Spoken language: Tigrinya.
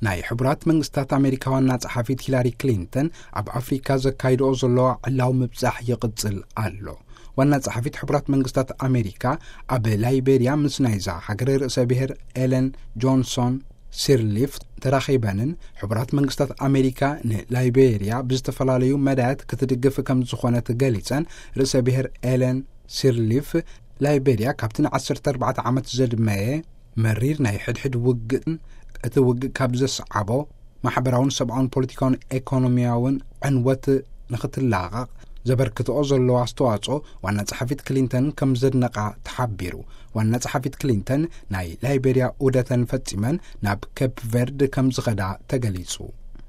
ናይ ሕቡራት መንግስታት ኣሜሪካ ዋና ጸሓፊት ሂላሪ ክሊንተን ኣብ ኣፍሪካ ዘካይድኦ ዘለዋ ዕላዊ ምብጻሕ ይቕጽል ኣሎ። ዋና ጸሓፊት ሕቡራት መንግስታት ኣሜሪካ ኣብ ላይቤሪያ ምስ ናይዛ ሃገር ርእሰ ብሔር ኤለን ጆንሶን ሲርሊፍ ተራኺበንን፣ ሕቡራት መንግስታት ኣሜሪካ ንላይቤሪያ ብዝተፈላለዩ መዳያት ክትድግፍ ከም ዝኾነት ገሊጸን፣ ርእሰ ብሔር ኤለን ሲርሊፍ ላይቤሪያ ካብቲ ን14 ዓመት ዘድመየ መሪር ናይ ሕድሕድ ውግእን እቲ ውግእ ካብ ዘስዓቦ ማሕበራውን ሰብኣውን ፖለቲካውን ኤኮኖሚያውን ዕንወት ንኽትላቐቕ ዘበርክትኦ ዘለዎ ኣስተዋጽኦ ዋና ጸሓፊት ክሊንተን ከም ዘድነቓ ተሓቢሩ። ዋና ጸሓፊት ክሊንተን ናይ ላይቤሪያ ዑደተን ፈጺመን ናብ ኬፕ ቨርድ ከም ዝኸዳ ተገሊጹ።